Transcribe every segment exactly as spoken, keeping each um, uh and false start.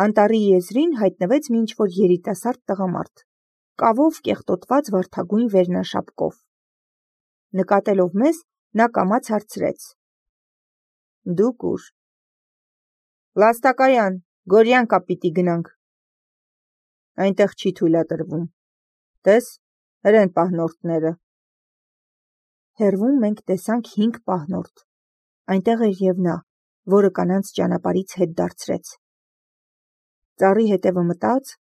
Անտառի եզրին հայտնվեց մի ինչ-որ երիտասարդ տղամարդ, կավով կեղտոտված վարդագույն վերնաշապկով։ Նկատելով մեզ, նա կամաց հարցրեց. «Դուք ուր»։ «Լաստակայան, Գորյանկա պիտի գնանք»։ «Այնտեղ չի թույլատրվում։ Տես, հրեն պահնորդները»։ Հեռվում մենք տեսանք հինգ պահնորդ։ Այնտեղ էր և նա, որը կանանց ճանապարհից հետ դարձրեց։ Ծառի հետևը մտած,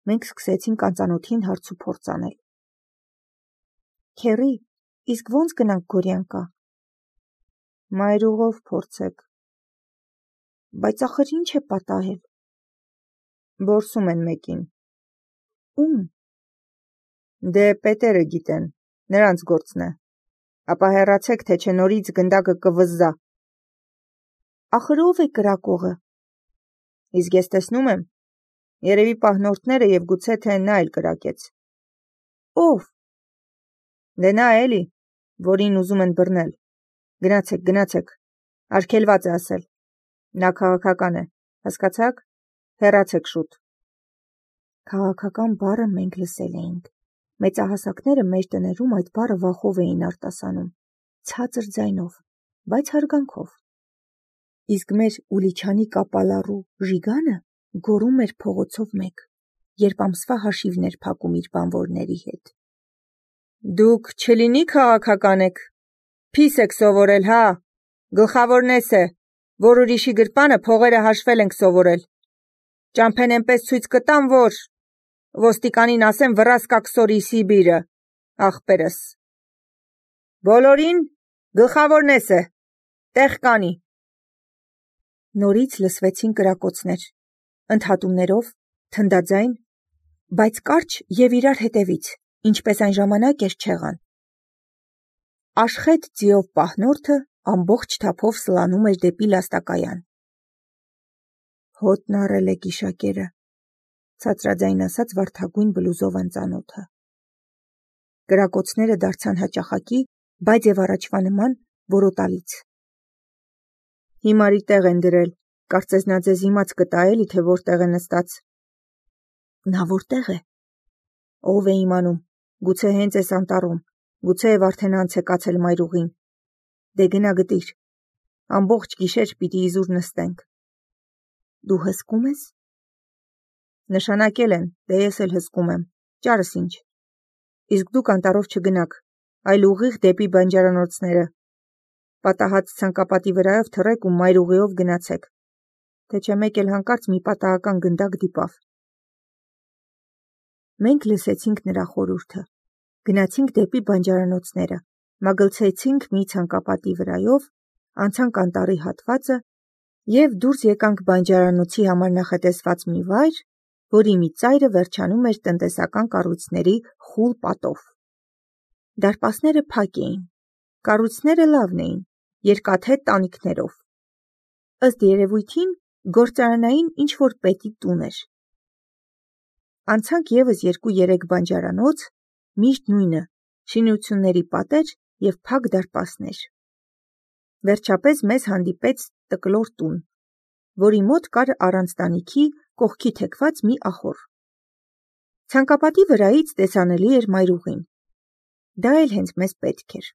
մենք սկսեցինք անծանոթին հարց ու փորձ անել։ Քեռի, իսկ ո՞նց գնանք Գորյանկա։ Մայրուղով փորձեք։ Բայց ախր ինչ է պատահել։ Որսում են մեկին։ Ում։ Դե պետերը գիտեն, նրանց գործն է։ Ապա հեռացեք, թե չէ նորից գնդակը կվզզա։ Ախր ով է կրակողը։ Իսկ ես տեսնում եմ, երևի պահնորդները և գուցե թե նա էլ կրակեց։ Ով։ Դե նա էլի, որին ուզում են բռնել։ Գնացեք, գնացեք, արգելված է ասել։ Նա քաղաքական է, հասկացաք, հեռացեք շուտ։ Քաղաքական բառը մենք լսել էինք։ Մեծահասակները մեր տներում այդ բառը վախով էին արտասանում, ցածր ձայնով, բայց հարգանքով։ Իսկ մեր Ուլիչանի կապալառու Ժիգանը գոռում էր փողոցով մեկ, երբ ամսվա հաշիվն էր փակում իր բանվորների հետ։ Դուք չլինի քաղաքական եք, փիս եք սովորել, հա, գլխավորն էս է, որ ուրիշի գրպանը փողերը հաշվել ենք սովորել։ Ճամփեն էնպես ցույց կտամ, որ ոստիկանին ասեմ վռաս կաքսորի Սիբիրը, ախպերս։ Բոլորին գլխավորն էս է, տեղ կանի։ Նորից լսվեցին կրակոցներ, ընդհատումներով, թնդաձայն, բայց կարճ և իրար հետևից, ինչպես այն ժամանակ էր չեղան։ Աշխետ ձիով պահնորդը ամբողջ թափով սլանում էր դեպի Լաստակայան։ Հոտն առել է գիշակերը, ցածրաձայն ասաց վարդագույն բլուզով անծանոթը։ Կրակոցները դարձան հաճախակի, բայց և առաջվա նման որոտալից։ Հիմարի տեղ են դրել, կարծես նա ձեզ իմաց կտա էլի, թե որտեղ է նստած։ Նա որտեղ է։ Ով է իմանում, գուցե հենց էս անտառում, գուցե և արդեն անց է կացել մայրուղին։ Դե գնա գտիր։ Ամբողջ գիշեր պիտի իզուր նստենք։ Դու հսկում ես։ Նշանակել են, դե ես էլ հսկում եմ, ճարս ինչ։ Իսկ դուք անտառով չգնաք, այլ ուղիղ դեպի բանջարանոցները։ Պատահած ցանկապատի վրայով թռեք ու մայրուղիով գնացեք, թե չէ մեկ էլ հանկարծ մի պատահական գնդակ դիպավ։ Մենք լսեցինք նրա խորհուրդը, գնացինք դեպի բանջարանոցները, մագլցեցինք մի ցանկապատի վրայով, անցանք անտառի հատվածը և դուրս եկանք բանջարանոցի համար նախատեսված մի վայր, որի մի ծայրը վերջանում էր տնտեսական կառույցների խուլ պատով։ Դարպասները փակ էին, կառույցները լավն էին, երկաթե տանիքներով։ Ըստ երևույթին գործարանային ինչ-որ պետի տուն էր։ Անցանք ևս երկու-երեք բանջարանոց, միշտ նույնը, շինությունների պատեր և փակ դարպասներ։ Վերջապես մեզ հանդիպեց տկլոր տուն, որի մոտ կար առանց տանիքի կողքի թեքված մի ախոռ։ Ցանկապատի վրայից տեսանելի էր մայրուղին։ Դա էլ հենց մեզ պետք էր։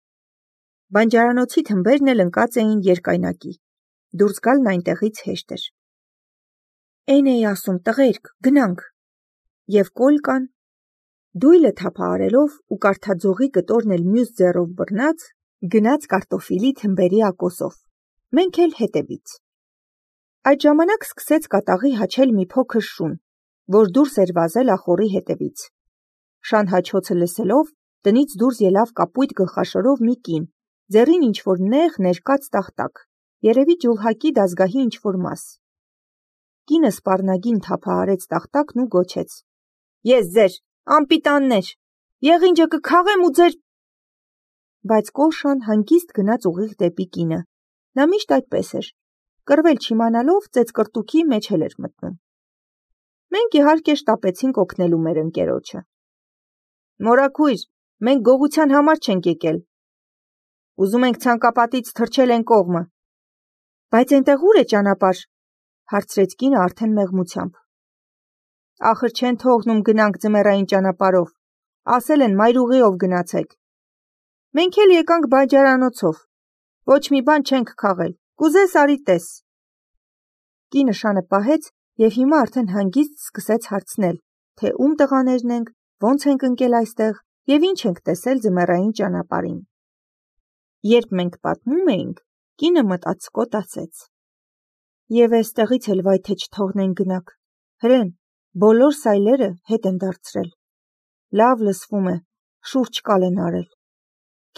Բանջարանոցի թմբերն էլ ընկած էին երկայնակի, դուրս գալն այնտեղից հեշտ էր։ Էն էի ասում, տղերք, գնանք։ Եվ Կոլկան, դույլը թափահարելով ու կարթաձողի կտորն էլ մյուս ձեռով բռնած, գնաց կարտոֆիլի թմբերի ակոսով, մենք էլ հետևից։ Այդ ժամանակ սկսեց կատաղի հաչել մի փոքր շուն, որ դուրս էր վազել ախոռի հետևից։ Շան հաչոցը լսելով, տնից դուրս ելավ կապույտ գլխաշորով մի կին, ձեռին ինչ-որ նեղ ներկած տախտակ, երևի ջուլհակի դազգահի ինչ-որ մաս։ Կինը սպառնագին թափահարեց տախտակն ու գոչեց. Ես ձեր, անպիտաններ, եղինջը կքաղեմ ու ձեր… Բայց Կոշան հանգիստ գնաց ուղիղ դեպի կինը, նա միշտ այդպես էր, կռվել չիմանալով ծեծկռտուքի մեջ էլ էր մտնում։ Մենք իհարկե շտապեցինք օգնելու մեր ընկերոջը։ Մորաքույր, մենք գողության համար չենք եկել։ Ուզում ենք ցանկապատից թռչել են կողմը։ Բայց այնտեղ ուր է ճանապարհ, հարցրեց կինը արդեն մեղմությամբ։ Ախր չեն թողնում գնանք ձմեռային ճանապարհով, ասել են մայրուղիով գնացեք։ Մենք էլ եկանք բանջարանոցով, ոչ մի բան չենք քաղել, կուզես արի տես։ Կինը շանը պահեց և հիմա արդեն հանգիստ սկսեց հարցնել, թե ում տղաներն ենք, ոնց ենք ընկել այստեղ և ինչ ենք տեսել ձմեռային ճանապարհին։ Երբ մենք պատմում էինք, կինը մտածկոտ ասեց. Եվ էստեղից էլ վայ թե չթողնեն գնաք, հրեն, բոլոր սայլերը հետ են դարձրել։ Լավ լսվում է, շուրջ կալ են արել։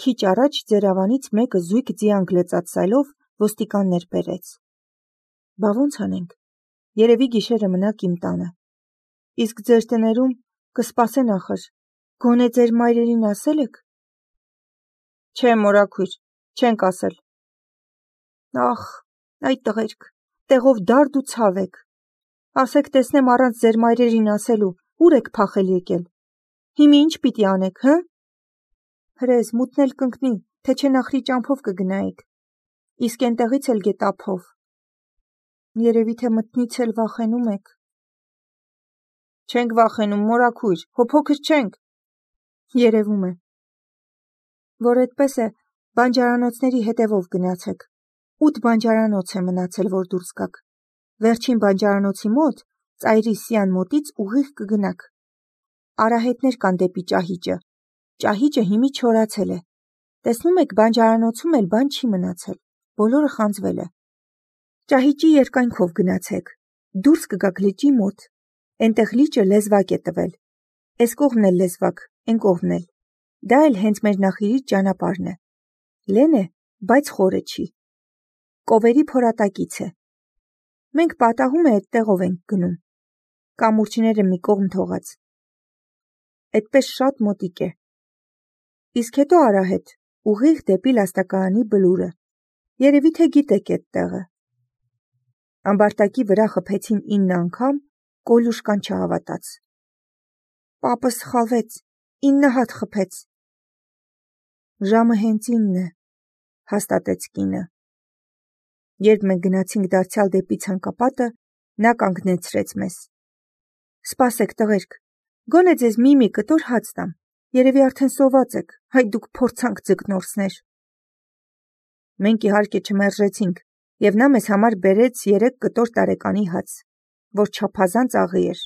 Քիչ առաջ ձեր ավանից մեկը զույգ ձիանք լեցած սայլով ոստիկաններ բերեց։ Բա ոնց անենք, երևի գիշերը մնաք իմ տանը։ Իսկ ձեր տներում կսպասեն ախր, գոնե ձեր մայրերին ասել եք։ Չէ, մորաքույր, չենք ասել։ Ախ, այ տղերք, տեղով դարդ ու ցավ եք։ Ասեք տեսնեմ առանց ձեր մայրերին ասելու, ուր եք փախել եկել։ Հիմա ինչ պիտի անեք, հը։ Հրեզ, մութն էլ կընկնի, թե չէ նախրի ճամփով կգնայիք։ Իսկ էնտեղից էլ գետափով։ Երևի թե մտնից էլ վախենում եք։ Չենք վախենում, մորաքույր, հո փոքր չենք։ Երևում է։ Որ այդպես է, բանջարանոցների հետևով գնացեք։ Ութ բանջարանոց է մնացել, որ դուրս գաք։ Վերջին բանջարանոցի մոտ, ծայրի սյան մոտից ուղիղ կգնաք։ Արահետներ կան դեպի ճահիճը։ Ճահիճը հիմի չորացել է։ Տեսնում եք, բանջարանոցում էլ բան չի մնացել, բոլորը խանձվել է։ Ճահիճի երկայնքով գնացեք, դուրս կգաք լճի մոտ, էնտեղ լիճը լեզվակ է տվել, էս կողմն էլ լեզվակ, էն կողմն էլ, դա էլ հենց մեր նախիրի ճանապարհն է, լեն է, բայց խորը չի, կովերի փորատակից է, մենք պատահում է էդտեղով ենք գնում, կամուրջները մի կողմ թողած, էդպես շատ մոտիկ է, իսկ հետո արահետ, ուղիղ դեպի լաստակարանի բլուրը, երևի թե գիտեք էդ տեղը։ Ամբարտակի վրա խփեցին ինը անգամ, Կոլյուշկան չհավատաց։ Պապը սխալվեց, ինը հատ խփեց։ Ժամը հենց ինն է, հաստատեց կինը։ Երբ մենք գնացինք դարձյալ դեպի ցանկապատը, նա կանգնեցրեց մեզ։ Սպասեք տղերք, գոնե ձեզ մի-մի կտոր հաց տամ, երևի արդեն սոված եք, հայ դուք փորձանք ձկնորսներ։ Մենք իհարկե չմերժեցինք, և նա մեզ համար բերեց երեք կտոր տարեկանի հաց, որ չափազանց աղի էր։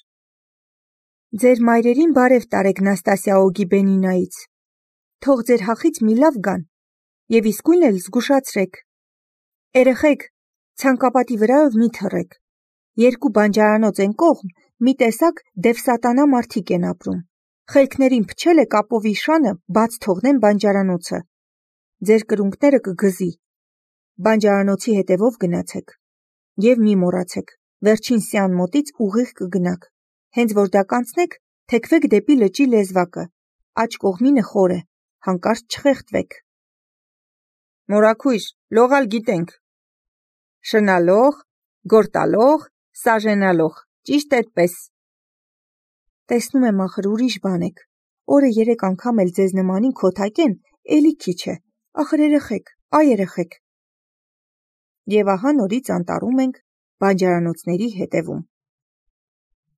Ձեր մայրերին բարև տարեք Նաստասիա Օգիբենինայից, թող ձեր հախից մի լավ գան, և իսկույն էլ զգուշացրեք։ Երեխեք, ցանկապատի վրայով մի թռեք, երկու բանջարանոց են կողմ, մի տեսակ դև-սատանա մարդիկ են ապրում, խելքներին փչել է կապովի շանը բաց թողնեն բանջարանոցը, ձեր կրունկները կգզի, բանջարանոցի հետևով գնացեք, և մի մոռացեք, վերջին սյան մոտից ուղիղ կգնաք, հենց որ դա կանցնեք, թեքվեք դեպի լճի լեզվակը, աջ կողմինը խոր է, հանկարծ չխեղդվեք։ Մորաքույր, լողալ գիտենք։ Շնալող, գործալող, սաժենալող, ճիշտ այդպես։ Տեսնում եմ ախր ուրիշ բան եք, օրը երեք անգամ էլ ձեզ նմանին քոթակեն, էլի քիչ է, ախր երեխեք, այ երեխեք։ Եվ ահա նորից անտառում ենք, բանջարանոցների հետևում։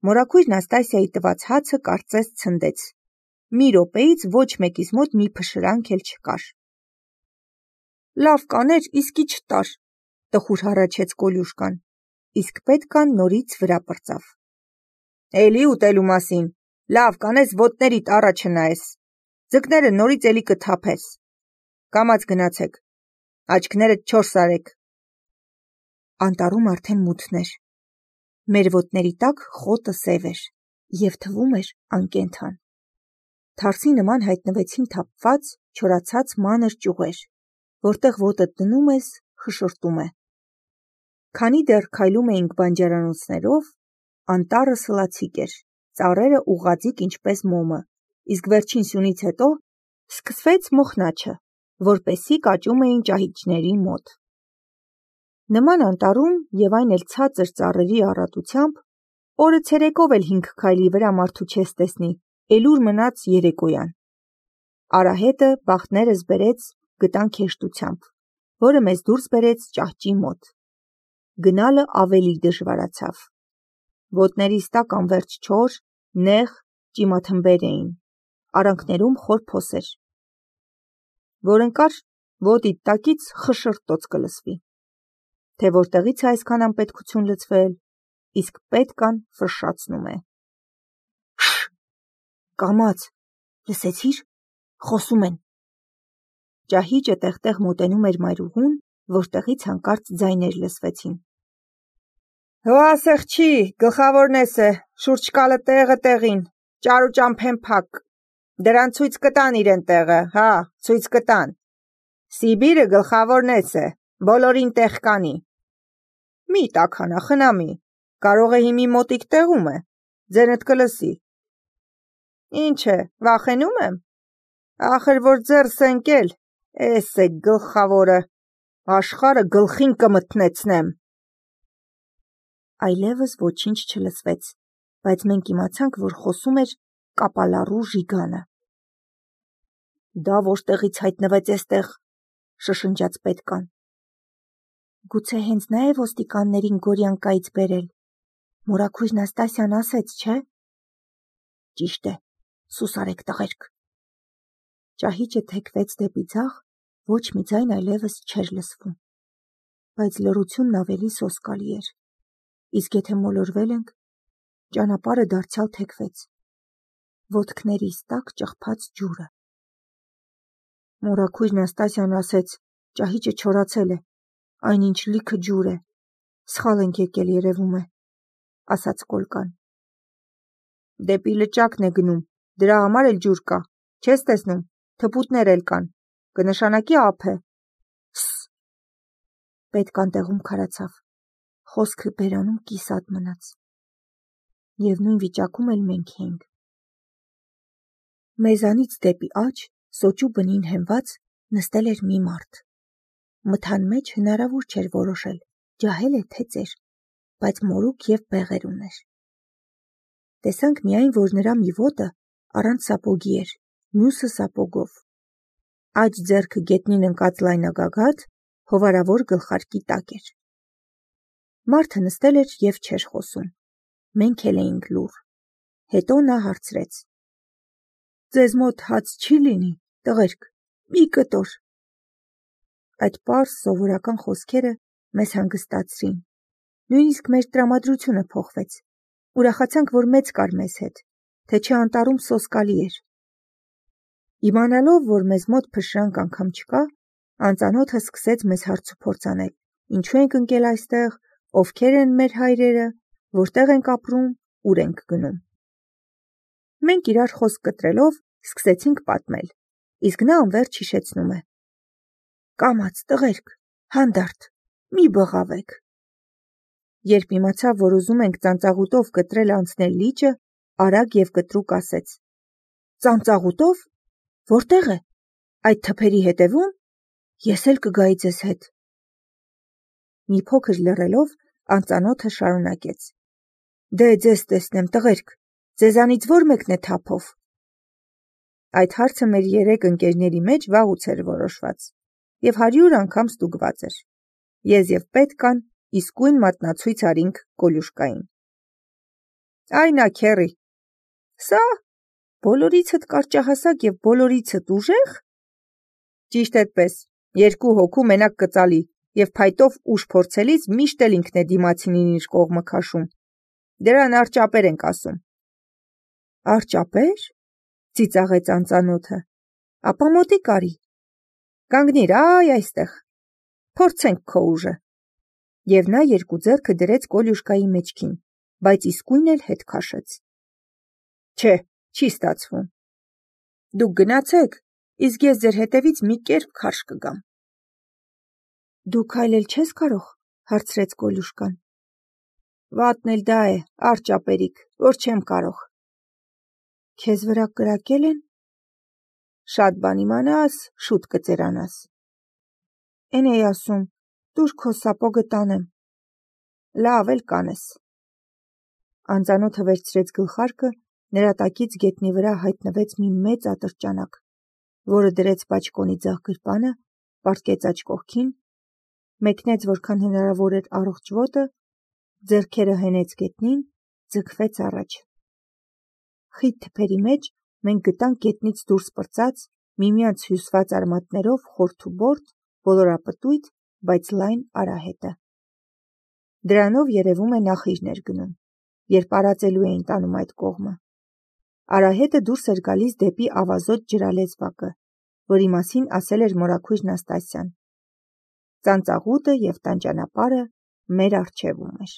Մորաքույր Նաստասիայի տված հացը կարծես ցնդեց։ Մի րոպեից ոչ մեկիս մոտ մի փշրանք էլ չկար։ Լավ կաներ, իսկի չտար, տխուր հառաչեց Կոլյուշկան, իսկ պետքան նորից վրա պրծավ։ Էլի ուտելու մասին, լավ կանես ոտներիդ առաջը նայես, ձկները նորից էլի կթափես, կամաց գնացեք, աչքներդ չորս արեք։ Անտառում արդեն մութն էր, մեր ոտների տակ խոտը սև էր և թվում էր անկենդան։ Թարսի նման հայտնվեցին թափված, չորացած մանր ճյուղեր, որտեղ ոտդ դնում ես, խշշտում է։ Քանի դեռ քայլում էինք բանջարանոցներով, անտառը սլացիկ էր, ծառերը ուղղաձիգ ինչպես մոմը, իսկ վերջին սյունից հետո սկսվեց մոխնաչը, որպեսզի կաճում էին ճահիճների մոտ։ Նման անտառում և այն էլ ցածր ծառերի առատությամբ, օրը ցերեկով էլ հինգ քայլի վրա մարդու չես տեսնի, էլ ուր մնաց երեկոյան։ Արահետը բախտներս բերեց գտանք հեշտությամբ, որը մեզ դուրս բերեց ճահճի մոտ։ Գնալը ավելի դժվարացավ։ Ոտներիս տակ անվերջ չոր, նեղ ճիմաթմբեր էին, արանքներում խոր փոսեր, որ ընկար ոտիդ տակից խշշրտոց կլսվի, թե որտեղից է այսքան անպետքություն լցվել, իսկ պետքան ֆշշացնում է։ Շ! Կամաց, լսեցի՞ր, խոսում են։ Ճահիճը տեղ-տեղ մոտենում էր մայրուղուն, որտեղից հանկարծ ձայներ լսվեցին։ Հո ասեղչի, գլխավորն էս է, շուրջ կալը տեղը տեղին, ճար ու ճամփեն փակ, դրան ցույց կտան իրեն տեղը, հա, ցույց կտան։ Սիբիրը գլխավորն էս է, բոլորին տեղ կանի։ Մի տաքանա, խնամի, կարող է հիմի մոտիկ տեղում է, ձենդ կլսի։ Ինչ է, վախենում եմ։ Ախր որ ձեռս ընկել, էս է գլխավորը, աշխարը գլխին կմթնեցնեմ։ Այլևս ոչինչ չլսվեց, բայց մենք իմացանք, որ խոսում էր կապալառու Ժիգանը։ Դա որտեղից հայտնվեց էստեղ, շշնջաց պետքան։ Գուցե հենց նա է ոստիկաններին Գորյանկայից բերել։ Մորաքույր Նաստասյան ասեց, չէ՞։ Ճիշտ է, սուս արեք տղերք։ Ճահիճը թեքվեց դեպի ձախ, ոչ մի ձայն այլևս չէր լսվում, բայց լռությունն ավելի սոսկալի էր, իսկ եթե մոլորվել ենք, ճանապարհը դարձյալ թեքվեց, ոտքներիս տակ ճղփաց ջուրը։ Մորաքույր Նաստասյան ասեց, ճահիճը չորացել է, այնինչ լիքը ջուր է, սխալ ենք եկել երևում է, ասաց Կոլկան։ Դեպի լճակն է գնում, դրա համար էլ ջուր կա, չես տեսնում, թփուտներ էլ կան, կնշանակի ափ է։ Սս։ Պետքան տեղում քարացավ, խոսքը բերանում կիսատ մնաց։ Եվ նույն վիճակում էլ մենք էինք։ Մեզանից դեպի աջ, սոճու բնին հենված, նստել էր մի մարդ։ Մթան մեջ հնարավոր չէր որոշել, ջահել է թե ծեր, բայց մորուք և բեղեր ուներ։ Տեսանք միայն, որ նրա մի ոտը առանց սապոգի էր, մյուսը սապոգով։ Աջ ձեռքը գետնին ընկած լայնագագաթ, հովարավոր գլխարկի տակ էր։ Մարդը նստել էր և չէր խոսում։ Մենք էլ էինք լուռ։ Հետո նա հարցրեց. Ձեզ մոտ հաց չի լինի, տղերք, մի կտոր։ Այդ պարզ սովորական խոսքերը մեզ հանգստացրին։ Նույնիսկ մեր տրամադրությունը փոխվեց։ Ուրախացանք, որ մեծ կար մեզ հետ, թե չէ անտառում սոսկալի էր։ Իմանալով, որ մեզ մոտ փշրանք անգամ չկա, անծանոթը սկսեց մեզ հարցուփորձ անել. ինչու ենք ընկել այստեղ, ովքեր են մեր հայրերը, որտեղ ենք ապրում, ուր ենք գնում։ Մենք իրար խոսք կտրելով սկսեցինք պատմել, իսկ նա անվերջ հիշեցնում է. Կամաց, տղերք, հանդարտ, մի բղավեք։ Երբ իմացավ, որ ուզում ենք ծանծաղուտով կտրել անցնել լիճը, արագ և կտրուկ ասեց. Ծանծաղուտով, որտեղ է, այդ թփերի հետևում, ես էլ կգայի ձեզ հետ։ Մի փոքր լռելով, անծանոթը շարունակեց. Դե ձեզ տեսնեմ, տղերք, ձեզանից ո՞ր մեկն է թափով։ Այդ հարցը մեր երեք ընկերների մեջ վաղուց էր որոշված և հարյուր անգամ ստուգված էր։ Ես և պետքան իսկույն մատնացույց արինք Կոլյուշկային։ Այ նա քեռի։ Սա բոլորիցդ կարճահասակ և բոլորիցդ ուժեղ։ Ճիշտ էդպես, երկու հոգու մենակ կծալի և փայտով ուժ փորձելիս միշտ էլ ինքն է դիմացինին իր կողմը քաշում։ Դրան արճապեր ենք ասում։ Արճապե՞ր, ծիծաղեց անծանոթը, ապա մոտիկ արի։ Կանգնիր, այ այստեղ, փորձենք քո ուժը։ Եվ նա երկու ձեռքը դրեց Կոլյուշկայի մեջքին, բայց իսկույն էլ հետ քաշեց։ Չէ, չի ստացվում։ Դուք գնացեք, իսկ ես ձեր հետևից մի կերպ քարշ կգամ։ Դու քայլել չես կարող, հարցրեց Կոլյուշկան։ Վատն էլ դա է, արճապերիկ, որ չեմ կարող։ Քեզ վրա կրակել են։ Շատ բան իմանաս, շուտ կծերանաս։ Էն էի ասում, տուր քո սապոգը տանեմ։ Լավ էլ կանես։ Անծանոթը վերցրեց գլխարկը, նրա տակից գետնի վրա հայտնվեց մի մեծ ատրճանակ, որը դրեց բաճկոնի ձախ գրպանը, պառկեց աջ կողքին, մեկնեց որքան հնարավոր էր առողջ ոտը, ձեռքերը հենեց գետնին ձգվեց առաջ։ Խիտ թփերի մեջ մենք գտանք գետնից դուրս պրծած, միմյանց հյուսված արմատներով խորթուբորդ, ոլորապտույտ, բայց լայն արահետը։ Դրանով երևում է նախիժն էր գնում, երբ արածելու էին տանում այդ կողմը։ Արահետը դուրս էր գալիս դեպի ավազոտ ջրալեզվակը, որի մասին ասել էր մորաքույր Նաստասյան։ Ծանծաղուտը և տան ճանապարհը մեր առջևում էր։